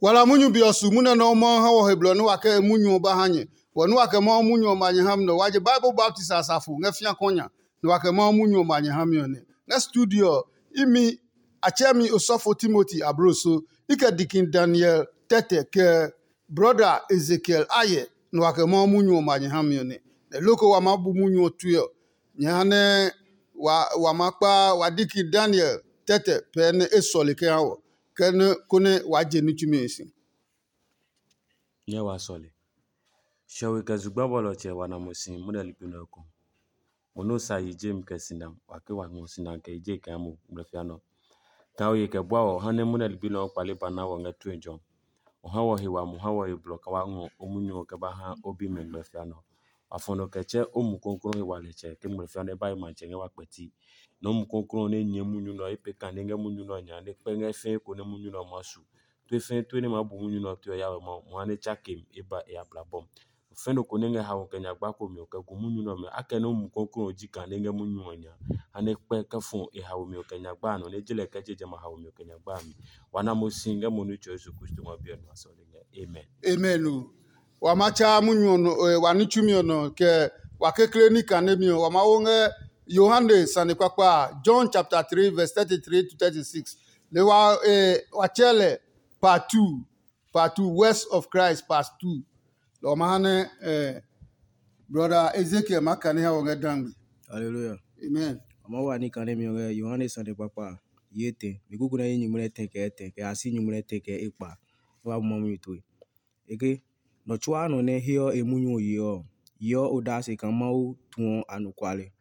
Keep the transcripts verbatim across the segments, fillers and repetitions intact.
Wala munyu be ɔ su munyu nɛ Mawu ha wɔ he blɔ nɛ wa kɛ munyu ɔ ba ha nyɛ. Wɔ nɛ wa kɛ Mawu munyu ɔ ma nyɛ ha mi nɛ wa je Bible baptist asafo ngɛ fĩa kɔnya, nɛ wa kɛ Mawu munyu ɔ ma nyɛ ha mi ɔ nɛ. Ngɛ studio ɔ, imi a tsɛ mi osɔfo Timoti abloso, i kɛ dikin Daniel tɛtɛ kɛ brɔda Ezekiel ayɛ, nɛ wa kɛ Mawu munyu ɔ ma nyɛ ha mi ɔ nɛ. Nɛ loko wa maa bu munyu ɔ tue ɔ, nyɛ ha nɛ wa wa maa kpa wa dikin Daniel tɛtɛ pɛɛ nɛ e sɔle kɛ ha wɔ, kɛ nɛ konɛ waa je ní tsumi ɔ si. Nyɛ wa sɔle. Shɛwe kɛ zugba bɔlɔtsɛ wa na mo si munɛ ligbi nɛ eko. Mo nɛ sa yi je mi kɛ sina, wa ke wa ngɔ sina kɛ yi je kɛ mo ngmlɛfia nɔ. Ka o ye kɛ bua wɔ ha nɛ munɛ ligbi nɛ ɔ kpale ba na wɔ ngɛ tue jɔ. O ha wɔ he wa mo ha wɔ he blɔ ka wa ngɔ o munyu ɔ kɛ ba ha o bi mɛ ngmlɛfia nɔ. Wa fɔ nɔ kɛ tsɛ o mu kɔnkɔn he wa lɛ tsɛ ke ngmlɛfia nɔ e ba yi matsɛ ngɛ wa kpɛti. Nɔ mu kɔnkɔn nɛ nyɛ munyu nɔ e pe kane ngɛ munyu nɔ nya nɛ kpɛ ngɛ fɛɛ ko nɛ munyu nɔ ma su. Tue fɛɛ tue nɛ maa bu munyu nɛ ɔ tue ɔ ya wɛ Mawu, mo ha nɛ tsa kem e ba e ya bla bɔm. Fɛ̃ nɔ ko nɛ ngɛ haomi kɛ nyagba ko mi ɔ kɛ gu munyu nɛ ɔmɛ, akɛnɛ o mu kɔklɔɔ ji kane ngɛ munyu ɔ nya, ha nɛ kpɛ kɛ fɔ e haomi ɔ kɛ nyagba a nɔ, nɛ e ji lɛ kɛ je jamɛ a haomi ɔ kɛ nyagba a mi. Wa na mo si ngɛ mo Nitsɛ Yesu Kristo ngɔ biɛ nɔ a sɔle ngɛ. Amen. Amen o. Wa ma tsa munyu ɔ nɔ, eh, wa ní tsumi ɔ nɔ, kɛ wa kekle ní kane mi ɔ, wa ma wo ngɛ Yohane sane kpakpa a, John chapter three verse thirty-three to thirty-six. Le wa, eh, wa tsɛ lɛ part two, part two, Words of Christ part two. Lɔ ɔ ma ha nɛ, eh, brother Ezekiel ma kane ha wɔ ngɛ dangbe. Hallelujah. Amen. A ma wa ní kane mi ɔ ngɛ Yohane sane kpakpa a, yi etɛ. Mi kuku nɛ yi nyumu nɛ tɛ kɛ etɛ, kɛ a si nyumu nɛ tɛ kɛ ekpa. Wa bu ma munyu tue. Eke, nɔ tsuaa nɔ nɛ heɔ e munyu ɔ yeɔ ɔ, yeɔ odase kaa Mawu tuɔ anɔkuale.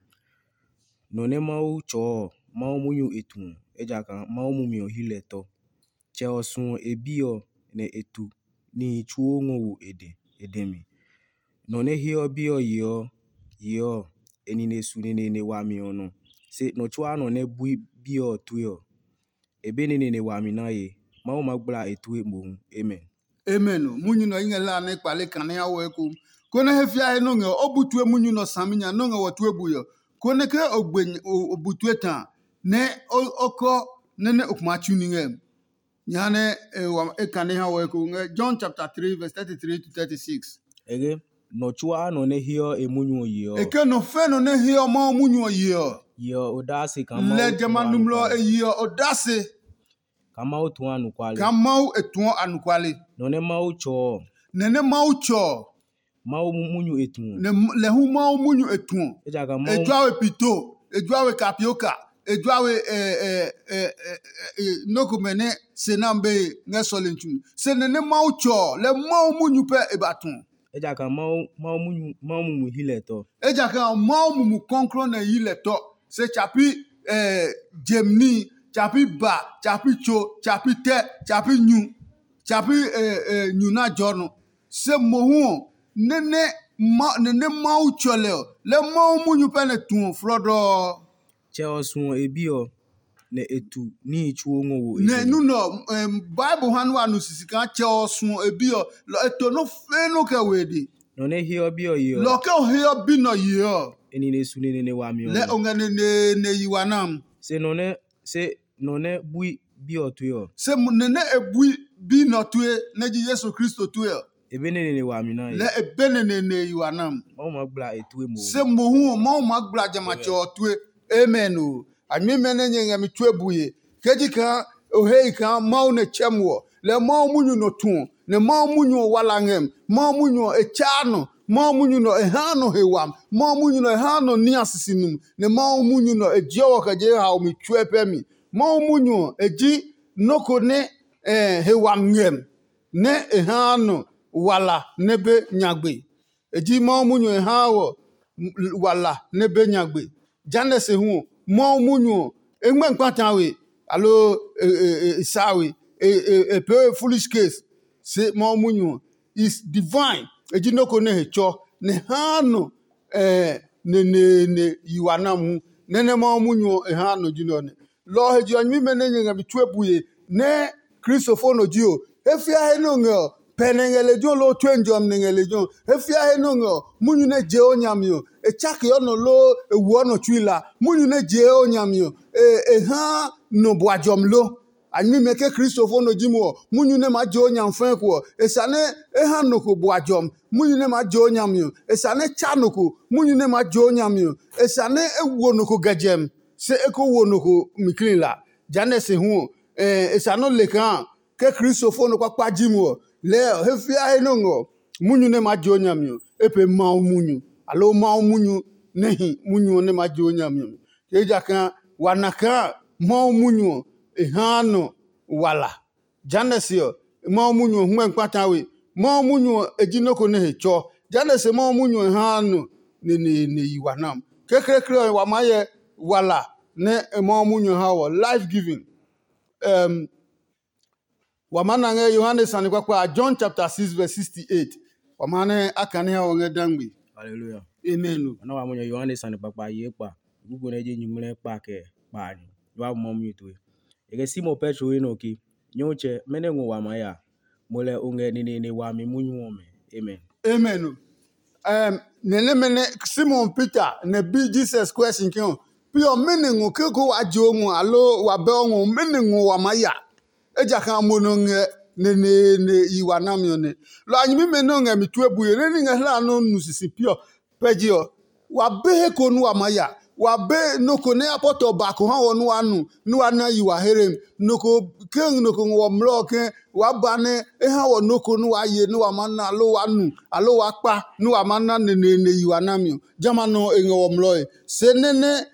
Nɔ nɛ Mawu tsɔɔ ɔ, Mawu munyu e tuɔ, ejakaa Mawu mumi ɔ hi lɛ tɔ. Tsɛ ɔ suɔ e Bi ɔ, nɛ e tu níhi tsuo ngɔ wo e dɛ, e dɛ mi. Nɔ nɛ heɔ Bi ɔ yeɔ ɔ, yeɔ ɔ, e nine su neneene wami ɔ nɔ. Se nɔ tsuaa nɔ nɛ bui Bi ɔ tue ɔ, e be neneene wami naye. Mawu maa gbla e tue mohu. Amen. Amen o. Munyu nɛ ɔ i ngɛ hlaa nɛ kpale kane ha wɔ eko, konɛ he fia he nɔ́ ngɛ ɔ, o bu tue munyu nɛ ɔ saminya nɔ́ ngɛ wɔ tue bui ɔ, konɛ ke o gbe o bu tue ta nɛ o kɔ nɛ nɛ o kuma tsu ní ngɛ. Jehanɛ e wa e kane ha wɔ eko ngɛ John chapter three verse thirty-three to thirty-six. Ege, nɔ tsuaa nɔ nɛ heɔ e munyu ɔ yeɔ. E ke nɔ fɛ nɔ nɛ heɔ Mawu munyu ɔ yeɔ. Yeɔ odase kaa Mawu lɛ jamɛ a numlɔ e yeɔ odase. Kaa Mawu tuɔ anɔkuale. Kaa Mawu e tuɔ anɔkuale. Nɔ nɛ Mawu tsɔɔ. Nɛ nɛ Mawu tsɔɔ. Mawu munyu e tuɔ. Nɛ lɛ hu Mawu munyu e tuɔ. Ejakaa e Mawu jua we pito, e jua we kapioka, e jua we nɔ́ komɛ nɛ se nam be ngɛ sɔlemi tsu. Se nɛ nɛ Mawu tsɔɔ lɛ Mawu munyu pɛ e ba tuɔ. Ejakaa Mawu Mawu munyu Mawu mumi hi lɛ tɔ. Ejakaa Mawu mumi kɔnklɔ nɛ yi lɛ tɔ. Se tsapi jemni, tsapi ba, tsapi tso, tsapi tɛ, tsapi nyu, tsapi nyu na jɔ nɔ. Se mohu ɔ, nɛ nɛ nɛ Mawu tsɔ lɛ ɔ, lɛ Mawu munyu pɛ nɛ tuɔ flɔdɔɔ. Tsɛ ɔ suɔ e Bi ɔ, nɛ e tu níhi tsuo ngɔ wo e nɛ dɛ. Nu nɛ ɔ, Bible ha nɛ wa nu sisi kaa Tsɛ ɔ suɔ e Bi ɔ, lɔ e to nɔ́ fɛɛ nɔ́ kɛ we e de. Nɔ nɛ heɔ Bi ɔ yeɔ. Lɔ ke o heɔ Bi nɛ ɔ yeɔ. E nine su neneene wami ɔ. Lɛ o ngɛ neneene yi wa nam. Se nɔ nɛ se nɔ nɛ bui Bi ɔ tue ɔ. Se nɛ nɛ e bui Bi nɛ ɔ tue, nɛ ji Yesu Kristo tue ɔ. E be neneene wami naye. Lɛ e be neneene yi wa nam. Mawu maa gbla e tue mo. Se mohu ɔ Mawu maa gbla jamɛ a tsɛ ɔ tue. Amen o. A nyɛmimɛ nɛ nyɛ ngɛ mi tue bue, ke ji kaa o he i kaa Mawu nɛ tsɛ mo ɔ, lɛ Mawu munyu nɔ tuɔ, nɛ Mawu munyu ɔ wala ngɛ mi. Mawu munyu ɔ e tsaa nɔ. Mawu munyu nɔ e haa nɔ he wami. Mawu munyu nɔ e haa nɔ niaa sisi numi, nɛ Mawu munyu nɔ e jeɔ wɔ kɛ je haomi tsuɛ pɛ mi. Mawu munyu ɔ e ji nɔ́ ko nɛ he wami ngɛ mi, nɛ e haa nɔ wala nɛ be nyagbe. E ji Mawu munyu e haa wɔ wala nɛ be nyagbe. Jehanɛ se hu ɔ, Mawu munyu ɔ, e ngmɛ kpata we, aloo e saa we, e pee we foolish case. Se Mawu munyu ɔ is divine. E ji nɔ́ ko nɛ he tsɔ, nɛ e haa nɔ neneene yi wa na mohu. Nɛ nɛ Mawu munyu ɔ e haa nɔ ji nɛ ɔ nɛ. Lɔ ɔ he je ɔ, nyɛmimɛ nɛ nyɛ ngɛ mi tue bue nɛ Kristofo nɔ ji ɔ, he fia he nɛ o ngɛ ɔ, pɛ nɛ ngɛ lejɛ ɔ loo tue njɔmi nɛ ngɛ lejɛ ɔ. He fia he nɛ o ngɛ ɔ, munyu nɛ jee o nya mi ɔ, e tsakeɔ nɔ loo e woɔ nɔ tsui la. Munyu nɛ jee o nya mi ɔ, e haa nɔ bua jɔmi lo. A nyɛmimɛ ke Kristofo nɔ ji mo ɔ, munyu nɛ maa je o nya fɛɛ ko ɔ, e sa nɛ e ha nɔ ko bua jɔmi. Munyu nɛ maa je o nya mi ɔ, e sa nɛ tsa nɔ ko. Munyu nɛ maa je o nya mi ɔ, e sa nɛ e wo nɔ ko gɛ jɛmi, se e ko wo nɔ ko mi klila. Jehanɛ se hu ɔ, e sa nɔ́ le kaa ke Kristofo nɔ kpakpa ji mo ɔ, lɛɛ ɔ, he fia he nɔ ngɔ ɔ, munyu nɛ maa je o nya mi ɔ, e pee Mawu munyu, aloo Mawu munyu nɛ hi munyu ɔ nɛ maa je o nya mi ɔ mi. Ejakaa wa na kaa Mawu munyu ɔ, e haa nɔ wala. Jehanɛ se ɔ, Mawu munyu ɔ hmɛ kpata we. Mawu munyu ɔ, e ji nɔ́ ko nɛ he tsɔ. Jehanɛ se Mawu munyu ɔ haa nɔ neneene yi wa nam. Kekleekle ɔ, wa maa hyɛ wala nɛ Mawu munyu ɔ ha wɔ, life giving. Um, wa maa na ngɛ Yohane sane kpakpa a, John chapter six verse sixty-eight. Wa maa nɛ a kane ha wɔ ngɛ dangbe. Hallelujah. Amen. Ana wa mo Yohane sane kpakpa a yi ekpa. Kuku nɛ ji nyuŋmlɛ kpa kɛ kpa a nyu. Wa mɔ mi tue. E kɛ Simon Petro he nɔ ke, "Nyɔmtsɛ, mɛnɔ ngɔ wa maa ya? Mo lɛ o ngɛ neneene wami munyu ɔmɛ." Amen. Amen. Nɛ nɛmɛ nɛ Simon Peter nɛ bi Jesus question ke ɔ, "Pi ɔ, mɛnɔ ngɔ ke ko wa je o ngɔ, aloo wa bɛ o ngɔ, mɛnɔ ngɔ wa maa ya?" Ejakaa mo nɔ ngɛ neneene yi wa nami ɔ nɛ. Lɔ a nyɛmimɛ nɛ ɔ ngɛ mi tue bue nɛ ní ngɛ hla nɔ́ nu sisi pi ɔ, pɛ je ɔ, wa be he ko nú wa maa ya. Wa be nɔ́ ko nɛ apɔtɔ ba ko ha wɔ nú wa nu, nú wa na yi wa here mi. Nɔ ko ke nɔ ko ngɔ wɔ mlɔ ɔ ke waa ba nɛ e ha wɔ nɔ́ ko nú wa ye nú wa ma na, aloo wa nu, aloo wa kpa nú wa ma na neneene yi wa nami ɔ, jamɛ a nɔ e ngɛ wɔ mlɔe. Se nɛ nɛ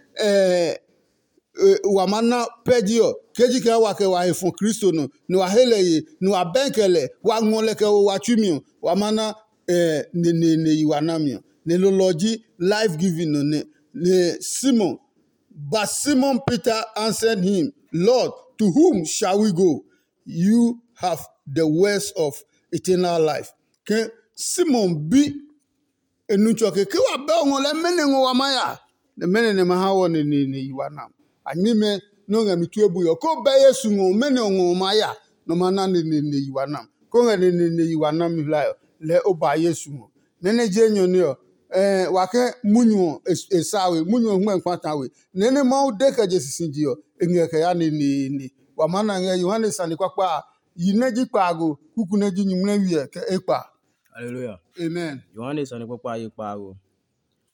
wa ma na pɛ ji ɔ, ke ji kaa wa kɛ wa he fɔ Kristo nɔ, nɛ wa he lɛ ye, nɛ wa bɛɛ kɛ lɛ, wa ngɔ lɛ kɛ wo wa tsui mi ɔ, wa ma na neneene yi wa nami ɔ. Nɛ lolɔ ɔ ji life giving nɔ nɛ. Nɛ Simon, but Simon Peter answered him, "Lord, to whom shall we go? You have the words of eternal life." Ke Simon bi e nu tsɔ ke, ke wa bɛ o ngɔ lɛ, mɛnɔ ngɔ wa maa ya? Nɛ mɛnɔ nɛ ma ha wɔ neneene yi wa nam? A nyɛmimɛ nɛ o ngɛ mi tue bui ɔ, ko bɛ Yesu ngɔ, mɛnɔ ngɔ o maa ya? Nɔ ma na neneene yi wa nam. Ko ngɛ neneene yi wa nami hlae ɔ, lɛɛ o ba Yesu ngɔ. Nɛ nɛ je enyɔ nɛ ɔ, wa ke munyu ɔ e sa we, munyu ɔ hmɛ kpata we. Nɛ nɛ Mawu de kɛ je sisije ɔ, e ngɛ kɛ ya neneene. Wa maa na ngɛ Yohane sane kpakpa a, yi nɛ ji kpaago, kuku nɛ ji nyuŋmlɛwi ɛ kɛ ekpa. Hallelujah. Amen. Yohane sane kpakpa a yi kpaago.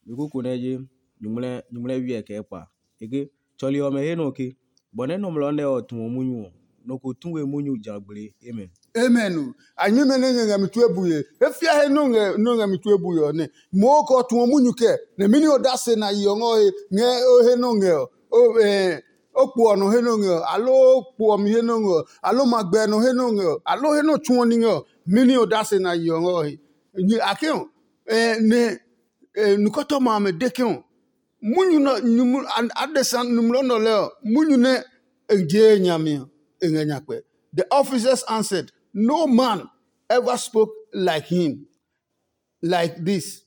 Ni kuku nɛ ji nyuŋmlɛ nyuŋmlɛ wiɛ kɛ ekpa. E ke, tsɔli ɔmɛ he nɔ ke, bɔ nɛ nɔmlɔ nɛ ɔ tuɔ munyu ɔ, nɔ ko tu we munyu ja gblee. Amen. Amen o. A nyɛmɛ nɛ nyɛ ngɛ mi tue bue. E fia he nɔ ngɛ nɔ ngɛ mi tue bue ɔ nɛ. Mo ko tuɔ munyu kɛ, nɛ mini odase na yi ɔ ngɔ he ngɛ o he nɔ ngɛ ɔ. O eh, o kpo ɔ nɔ he nɔ ngɛ ɔ, aloo o kpo ɔ mi he nɔ ngɛ ɔ, aloo ma gbɛ nɔ he nɔ ngɛ ɔ, aloo he nɔ tsuɔ ní ngɛ ɔ, mini odase na yi ɔ ngɔ he. Ni a ke ɔ, eh, nɛ eh, nukɔtɔma amɛ de ke ɔ, munyu nɔ nyumu adesa numlɔ nɔ lɛ ɔ, munyu nɛ e je nyami ɔ, e ngɛ nyakpɛ. The officers answered, "No man ever spoke like him, like this,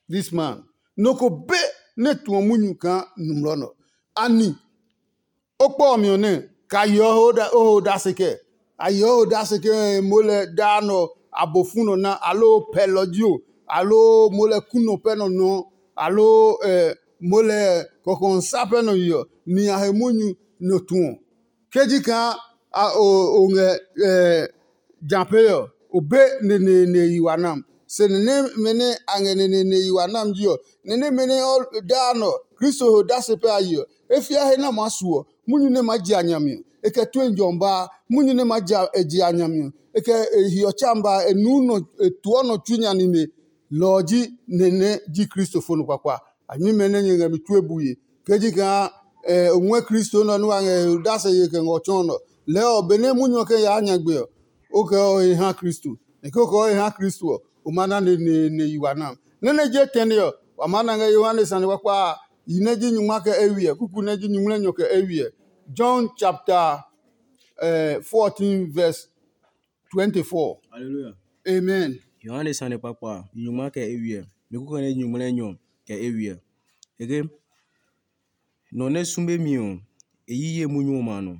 this man." Nɔ ko be nɛ tuɔ munyu kaa numlɔ nɔ. Ani o kpɔ ɔ mi ɔ nɛ, ka yeɔ o ho odase kɛ? A yeɔ odase ke mo lɛ daa nɔ abofu nɔ na, aloo pɛlɔ ji o, aloo mo lɛ kunɔ pɛ nɔ nɔ, aloo mo lɛ kɔkɔnsa pɛ nɔ yeɔ, ni a he munyu nɔ tuɔ. Ke ji kaa o ngɛ ja pee ɔ, o be neneene yi wa nam. Se nɛnɛmɛ nɛ a ngɛ neneene yi wa nam ji ɔ, nɛnɛmɛ nɛ ɔ daa nɔ Kristo he odase pɛ a yi ɔ, e fia he nɛ a maa su ɔ, munyu nɛ maa ji a nya mi ɔ, e kɛ tue njɔ ba a. Munyu nɛ maa ji a nya mi ɔ, e kɛ e hiɔ tsa ba a, e nuu nɔ e tuɔ nɔ tsui nya nime. Lɔ ɔ ji nɛ nɛ ji Kristo fo nɔ kpakpa. A nyɛmimɛ nɛ nyɛ ngɛ mi tue bue. Ke ji kaa o ngɔɛ Kristo nɛ ɔ nɛ wa ngɛ he odase ye kɛ ngɔ tsɔɔ nɔ. Lɛɛ ɔ, benɛ munyu ɔ kɛ yaa nyagbe ɔ, o kɛ ɔ he ha Kristo. Nɛ ke o kɛ ɔ he ha Kristo ɔ, o ma na neneene yi wa nam. Nɛ nɛ je tɛne ɔ, wa maa na ngɛ Yohane sane kpakpa a, yi nɛ ji nyungma kɛ eywiɛ, kuku nɛ ji nyungmlɛnyɔ kɛ eywiɛ. John chapter uh, fourteen verse twenty-four. Hallelujah. Amen. Yohane sane kpakpa a, nyungma kɛ eywiɛ, mi kuku nɛ ji nyungmlɛnyɔ kɛ eywiɛ. Eke nɔ nɛ sume mi ɔ, e yi ye munyu ɔmɛ a nɔ.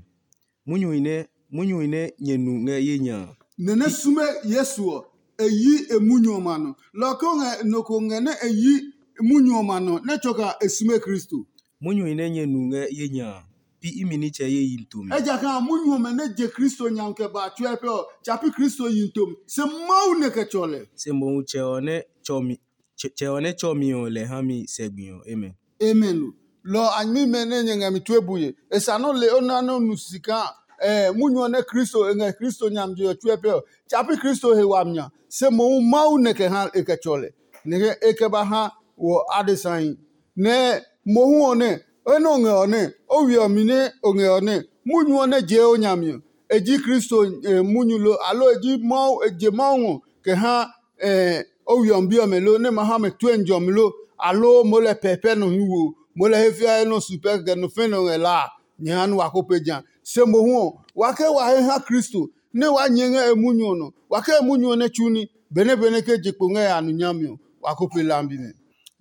Munyu nɛ munyu nɛ nyɛ nu ngɛ ye nya a. Nɛ nɛ sume Yesu ɔ, e yi e munyu ɔmɛ a nɔ. Lɔ ko ngɛ nɔ ko ngɛ nɛ e yi munyu ɔmɛ a nɔ nɛ tsɔ kaa e sume Kristo. Munyu nɛ nyɛ nu ngɛ ye nya a, pi imi nitsɛ ye yi to mi. Ejakaa munyu ɔmɛ nɛ je Kristo nya kɛ ba tsuɛ pɛ ɔ, tsa pi Kristo yi to mi, se Mawu nɛ kɛ tsɔ lɛ. Se mohu tsɛ ɔ nɛ tsɔ mi tsɛ ɔ nɛ tsɔ mi ɔ lɛ ha mi sɛgbi ɔ. Amen. Amen. Lɔ a nyɛmimɛ nɛ nyɛ ngɛ mi tue bue. E sa nɔ́ le o na nɛ o nu sika. Eh, munyu ɔ nɛ Kristo e ngɛ Kristo nyami je ɔ tsuɛ pɛ ɔ, tsa pi Kristo he wami nya, se mohu Mawu nɛ kɛ ha e kɛ tsɔ lɛ, nɛ e kɛ ba ha wɔ adesahi. Nɛ mohu ɔ nɛ, enɛ o ngɛ ɔ nɛ, o we ɔ mi nɛ o ngɛ ɔ nɛ, munyu ɔ nɛ jee o nyami ɔ, e ji Kristo eh, munyu lo, aloo e ji Mawu, e je Mawu ngɔ kɛ ha eh, o we ɔ bi ɔmɛ lo, nɛ ma ha mɛ tue njɔmi lo, aloo moo lɛ pɛpɛ nɔ hi wo, moo lɛ he fiae nɔ su pɛ kɛ nɔ fɛ nɔ ngɛ la a, nyɛ ha nɛ wa ko pe ja. Se mohu ɔ, wa ke wa he ha Kristo, nɛ wa nyɛ ngɛ e munyu ɔ nɔ, wa ke e munyu ɔ nɛ tsu ní, benɛ benɛ ke je kpo ngɛ ya nu nyami ɔ, wa ko pe lambi nɛ.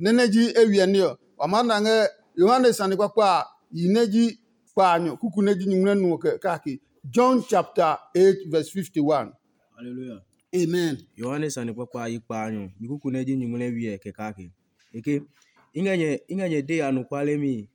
Nɛ nɛ ji e wiɛ ní ɔ, wa maa na ngɛ Yohane sane kpakpa a, yi nɛ ji kpaanyɔ kuku nɛ ji nyumu nɛ nu ɔ kɛ kake. John chapter eight verse fifty-one. Hallelujah. Amen. Yohane sane kpakpa a yi kpaanyɔ yi kuku nɛ ji nyumu nɛ wiɛ kɛ kake. Eke, i ngɛ nyɛ i ngɛ nyɛ de anɔkuale mi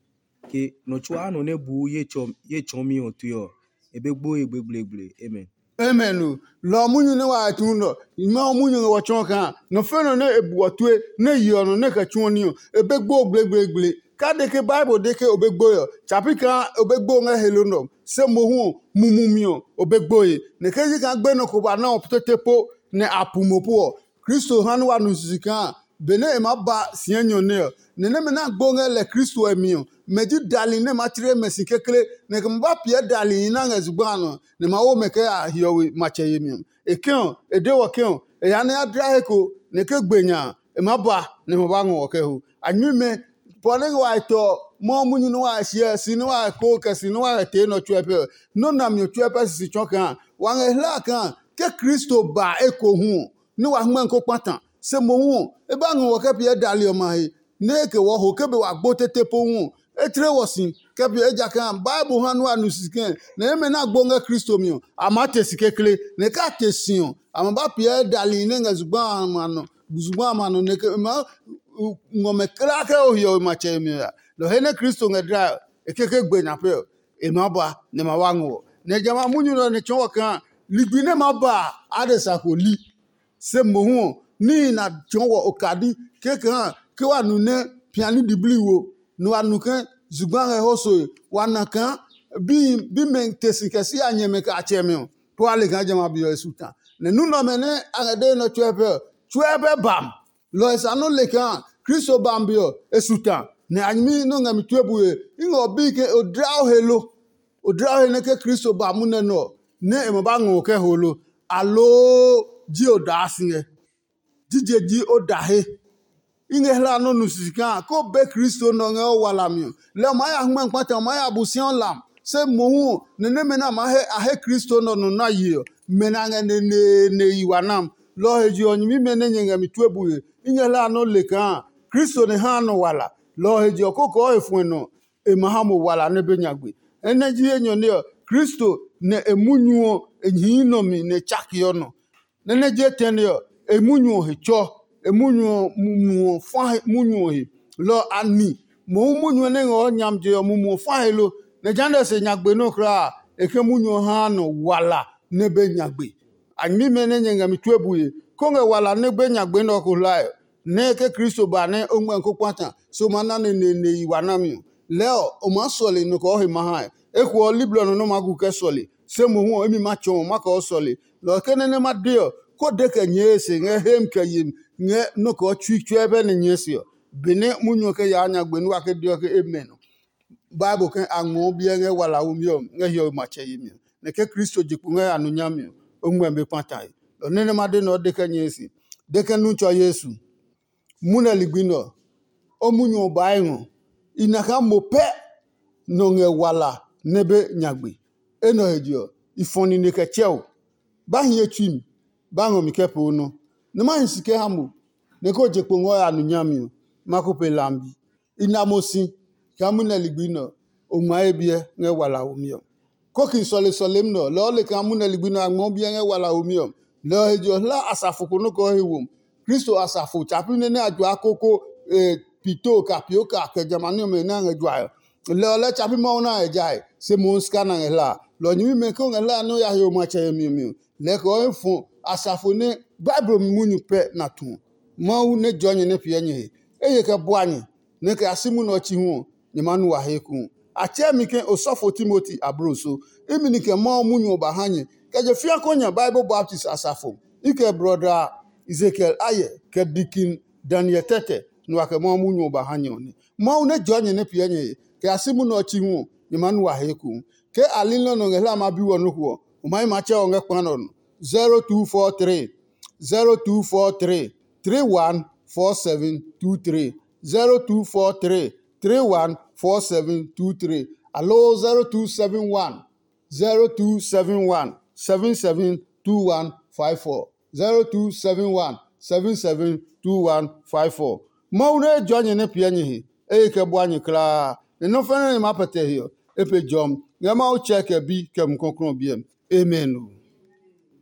ke nɔ tsuaa nɔ nɛ buu ye tsɔ ye tsɔɔmi ɔ tue ɔ, e be gboe gblegble. Amen. Amen o. Lɔ ɔ munyu nɛ wa tu nɔ, Mawu munyu ngɛ wɔ tsɔɔ kaa nɔ fɛ nɔ nɛ e buɔ tue nɛ yeɔ nɔ nɛ kɛ tsuɔ ní ɔ, e be gbo gblegblégble. Ka de ke Bible de ke o be gboe ɔ, tsa pi kaa o be gbo ngɛ he lo nɔ, se mohu ɔ, mumi ɔ, o be gboe. Nɛ ke yi kaa gbenɔ ko ba na ɔ tete po nɛ a pu mo po ɔ, Kristo ha nɛ wa nu sisi kaa benɛ e maa ba si enyɔ nɛ ɔ, nɛ nɛmɛ nɛ a gbo ngɛ lɛ Kristo ɔ mi ɔ, mɛ ji dali nɛ ma tle mɛ si kekle, nɛ kɛ ma ba piɛ dalihi nɛ a ngɛ zugba a nɔ, nɛ ma wo mɛ kɛ ya hiɔwe matsɛ yemi ɔ. E kɛ ɔ, e de wɔ ke ɔ, e ya nɛ ya dla he ko, nɛ ke gbe nya a, e maa ba, nɛ ma ba ngɔ wɔ kɛ ho. A nyuimɛ, pɔ nɛ ngɛ wa tɔ mɔ munyu nɛ wa hyɛ si nɛ wa ko kɛ si nɛ wa tee nɔ tsuɛ pɛ ɔ, nɔ́ nami ɔ tsuɛ pɛ sisi tsɔɔ kaa wa ngɛ hla kaa ke Kristo ba ekohu ɔ, nɛ wa hmɛ ko kpata. Se mohu ɔ, e ba ngɔ wɔ kɛ piɛ dali ɔmɛ a he, nɛ e ke wɔ ho ke be wa gbo tete pohu ɔ, e tle wɔ si kɛ piɛ ejakaa Bible ha nua nu si kɛ̃ nɛ eme nɛ a gbo ngɛ Kristo mi ɔ, a maa te si kekle, nɛ ka te si ɔ, a ma ba piɛ dali nɛ ngɛ zugba amɛ a nɔ, zugba amɛ a nɔ nɛ ke e maa ngɔ mɛ kulaa kɛ o hiɔwe matsɛ yemi ɔ ya. Lɔ he nɛ Kristo ngɛ dlae ɔ, e keke gbe nya pɛ ɔ, e maa ba nɛ ma wa ngɔ wɔ. Nɛ jamɛ a munyu nɛ ɔ nɛ tsɔɔ wɔ kaa ligbi nɛ ma ba a, adesa ko li. Se mohu ɔ, níhi na tsɔɔ wɔ okadi kee kaa ke wa nu nɛ piani diblii wo, nɛ wa nu ke zugba ngɛ ho soe, wa na kaa bimɛ te si kɛ si a nyɛmɛ kɛ a tsɛmɛ ɔ, kɛ wa le kaa jamɛ a be ɔ e su ta. Nɛ nu nɛ ɔmɛ nɛ a ngɛ dee nɛ ɔ tsuɛ pɛ ɔ, tsuɛ pɛ bam. Lɔ ɔ sa nɔ́ le kaa Kristo bam be ɔ, e su ta. Nɛ a nyɛmi nɛ o ngɛ mi tue bue, i ngɛ ɔ bi ke o dla o he lo? O dla o he nɛ ke Kristo ba munɛ nɛ ɔ, nɛ e ma ba ngɔ o kɛ ho lo? Aloo ji o daa si ngɛ? Jije ji o da he? I ngɛ hla nɔ́ nu sisi kaa ke o be Kristo nɛ ɔ ngɛ o walami ɔ, lɛ o maa ya hngmɛ kpata, o maa ya bu si ɔ lam. Se mohu ɔ, nɛ nɛmɛ nɛ a maa he a he Kristo nɛ ɔ nɔ na ye ɔ, mɛ nɛ a ngɛ neneene yi wa nam. Lɔ ɔ he je ɔ, nyɛmimɛ nɛ nyɛ ngɛ mi tue bue, i ngɛ hla nɔ́ le kaa Kristo nɛ haa nɔ wala. Lɔ ɔ he je ɔ, kokoo he fuɛ nɔ e ma ha mo wala nɛ be nyagbe. Enɛ ji enyɔ nɛ ɔ, Kristo nɛ e munyu ɔ e hii nɔ mi nɛ e tsakeɔ nɔ. Nɛ nɛ je tɛne ɔ, e munyu ɔ he tsɔ, e munyu ɔ mumu ɔ fa he munyu ɔ he. Lɔ ɔ a ni mohu munyu ɔ nɛ ngɛ ɔ nyami je ɔ mumu ɔ fa he lo? Nɛ jehanɛ se nyagbe nɔ́ kulaa a, e ke munyu ɔ haa nɔ wala nɛ be nyagbe. A nyɛmimɛ nɛ nyɛ ngɛ mi tue bue, kó ngɛ wala nɛ be nyagbe nɛ ɔ ko hlae ɔ, nɛ ke Kristo ba nɛ o ngmɛ ko kpata, se o maa na neneene yi wa nami ɔ, lɛɛ ɔ, o maa sɔle nɔ kɛ o he ma hae. Eko ɔ, liblɔ nɔ nɛ o maa gu kɛ sɔle, se mohu ɔ, imi ma tsɔɔ ma kɛ o sɔle. Lɔ ɔ ke nɛ nɛ ma de ɔ, ko de kɛ nyɛɛ e se ngɛ hemi kɛ yemi ngɛ nɔ kɛ o tsui tsuɛ bɛ nɛ nyɛɛ se ɔ, benɛ munyu ɔ kɛ yaa nyagbe nɛ wa ke de ɔ ke e mɛ nɔ. Bible ke a ngmɔɔ biɛ ngɛ walaomi ɔ ngɛ hiɔwe matsɛ yemi ɔ, nɛ ke Kristo je kpo ngɛ ya nu nyami ɔ, o ngmɛ be kpatae. Lɔ nɛ nɛ ma de nɛ o de kɛ nyɛɛ se, de kɛ nu tsɔ Yesu. Munɛ ligbi nɛ ɔ, o munyu ɔ baa e ngɔ. I na kaa mo pɛ nɔ ngɛ wala nɛ be nyagbe. Enɛ ɔ he je ɔ, i fɔ nine kɛ tsɛ o. Ba hi ye tsui mi, ba ngɔ mi kɛ pee o nɔ. Nɛ ma hi si kɛ ha mo, nɛ ko je kpo ngɔ ya nu nyami ɔ, ma ko pe lambi. I na mo si kaa munɛ ligbi nɛ ɔ, o ngma ye biɛ ngɛ walaomi ɔ. Koki sɔle sɔlemi nɛ ɔ, lɔ ɔ le kaa munɛ ligbi nɛ a ngmɔɔ biɛ ngɛ walaomi ɔ. Lɔ ɔ he je ɔ, hla asafo ko nɔ́ kɛ ɔ he wom. Kristo asafo tsapi nɛ nɛ a juaa koko pito ka pio ka kɛ jamani ɔmɛ nɛ a ngɛ juae ɔ. Lɛ ɔ lɛɛ tsa pi Mawu nɛ a ngɛ jae, se mohu sika nɛ a ngɛ hla a. Lɔ ɔ nyɛmimɛ ke o ngɛ hla a nɛ o ya he o matsɛ yemi ɔ mi ɔ, lɛɛ kɛ o hɛ fɔ asafo nɛ Bible mi munyu pɛ na tu ɔ. Mawu nɛ jɔɔ nyɛ nɛ piɛ nyɛ he. Eye kɛ bua nyɛ, nɛ kɛ ya si munɛ ɔ chi hu ɔ, nyɛ maa nu wa he ekohu. A tsɛɛ mi ke osɔfo Timoti abloso. Imi ni kɛ Mawu munyu ɔ ba ha nyɛ, kɛ je fĩa kɔ nya Bible baptist asafo. I kɛ brɔda Ezekiel Aye, kɛ dikin Daniel Tɛtɛ, nɛ wa kɛ Mawu munyu ɔ ba ha nyɛ ɔ nɛ. Mawu nɛ jɔɔ nyɛ nɛ piɛ nyɛ he, kɛ ya si munɛ ɔ chi hu ɔ, nyɛ maa nu wa he ekohu. Ke a li nɔ́ nɔ ngɛ hlama bi wɔ nɔ́ ko ɔ, o ma yi matsɛ ɔ ngɛ kpa nɛ ɔ nɔ. zero two four three, zero two four three, three one four seven two three, zero two four three, three one four seven two three, aloo zero two seven one, zero two seven one, seven seven two one five four, zero two seven one, seven seven two one five four. Mawu nɛ e jua nyɛ nɛ piɛ nyɛ he, eye kɛ bua nyɛ kulaa. Nɛ nɔ́ fɛnɛ nɛ ma pɛtɛ he ɔ, e pe jɔmi ngɛ Mawu Tsɛ kɛ Bi kɛ Mumi Klɔuklɔu ɔ biɛ mi. Amen.